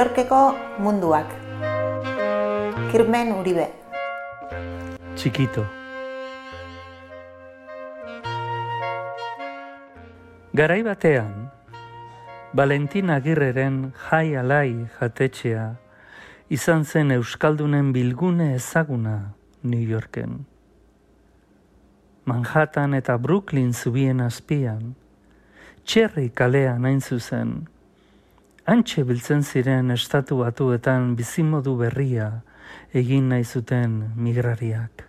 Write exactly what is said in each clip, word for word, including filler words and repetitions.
Yorkeko munduak. Kirmen Uribe. Chiquito. Garai batean, Valentin Agirreren Jai Alai jatetxea izan zen euskaldunen bilgune ezaguna New Yorken. Manhattan eta Brooklyn zubien azpian, Cherry kalean hain zuzen, hantxe biltzen ziren estatu batuetan bizimodu berria egin nahi zuten migrariak.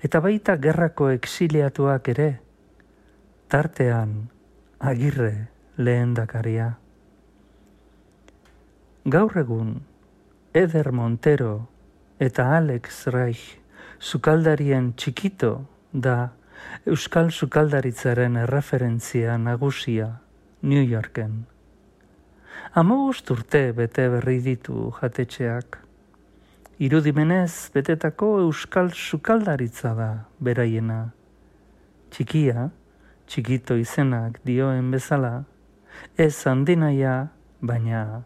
Eta baita gerrako exiliatuak ere, tartean Agirre lehendakaria. Gaur egun, Eder Montero eta Alex Reich sukaldarien Chiquito da euskal sukaldaritzaren erreferentzia nagusia New Yorken. Hamabost urte bete berri ditu jatetxeak. Irudimenez betetako euskal sukaldaritza da beraiena. Txikia, Chiquito izenak dioen bezala, ez handinaia, baina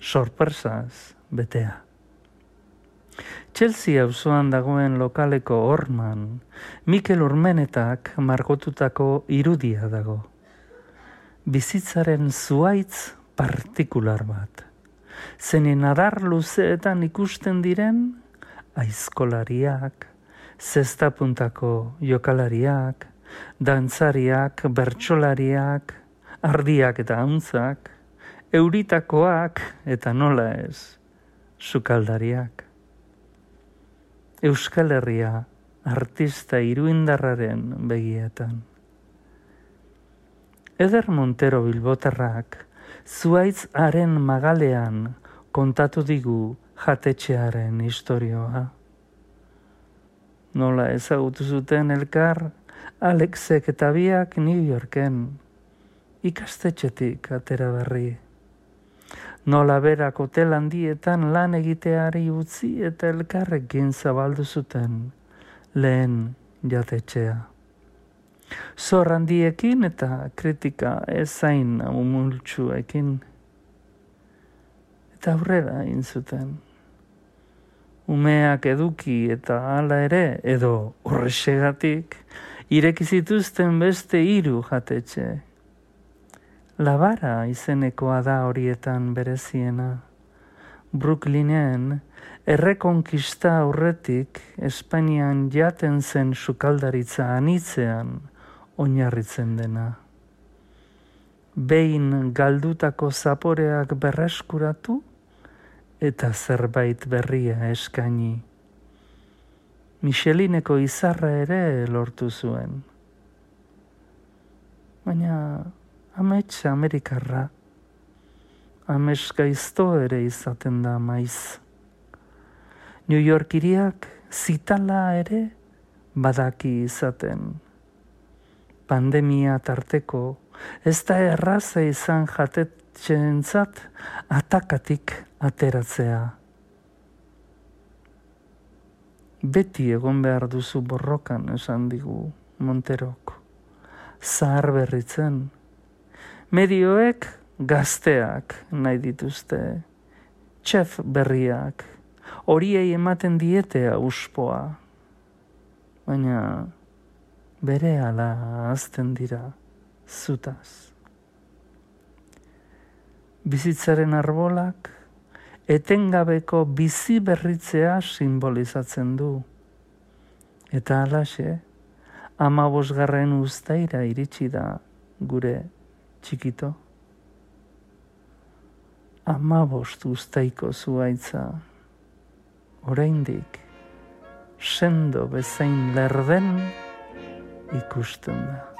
sorpresaz betea. Chelsea auzoan dagoen lokaleko horman, Mikel Urmenetak margotutako irudia dago. Bizitzaren zuhaitz partikular bat. Zenen adar luzeetan ikusten diren, aizkolariak, zestapuntako jokalariak, dantzariak, bertsolariak, ardiak eta hauntzak, euritakoak eta nola ez, sukaldariak. Euskal Herria artista iruindarraren begietan. Eder Montero bilbotarrak zuhaitz haren magalean kontatu digu jatetxearen istorioa. Nola ezagutu zuten elkar, Alexek eta biak New Yorken, ikastetxetik atera berri. Nola berak hotel handietan lan egiteari utzi eta elkarrekin zabaldu zuten lehen jatetxea. Zor handiekin eta kritika ezain umultsuekin. Eta aurrera egin zuten. Umeak eduki eta hala ere, edo horrexegatik, ireki zituzten beste hiru jatetxe. Labara izenekoa da horietan bereziena. Brooklynen errekonkista aurretik Espainian jaten zen sukaldaritza anitzean oinarritzen dena. Behin galdutako zaporeak berreskuratu eta zerbait berria eskaini. Michelineko izarra ere lortu zuen. Baina amets Amerikarra, amets gaizto ere izaten da maiz. New York hiriak zitala ere badaki izaten. Pandemia tarteko ez da erraza izan jatetxeentzat atakatik ateratzea. Beti egon behar duzu borrokan esan digu Monterok. Zahar berritzen. Medioek gazteak nahi dituzte, txef berriak, horiei ematen diete auspoa. Baina berehala hazten dira zutaz. Bizitzaren arbolak etengabeko bizi berritzea simbolizatzen du. Eta halaxe, hamabosgarren uztaira iritsi da gure Chiquito. Hamabost uztaiko zuhaitza, oraindik sendo bezain lerden ikusten da.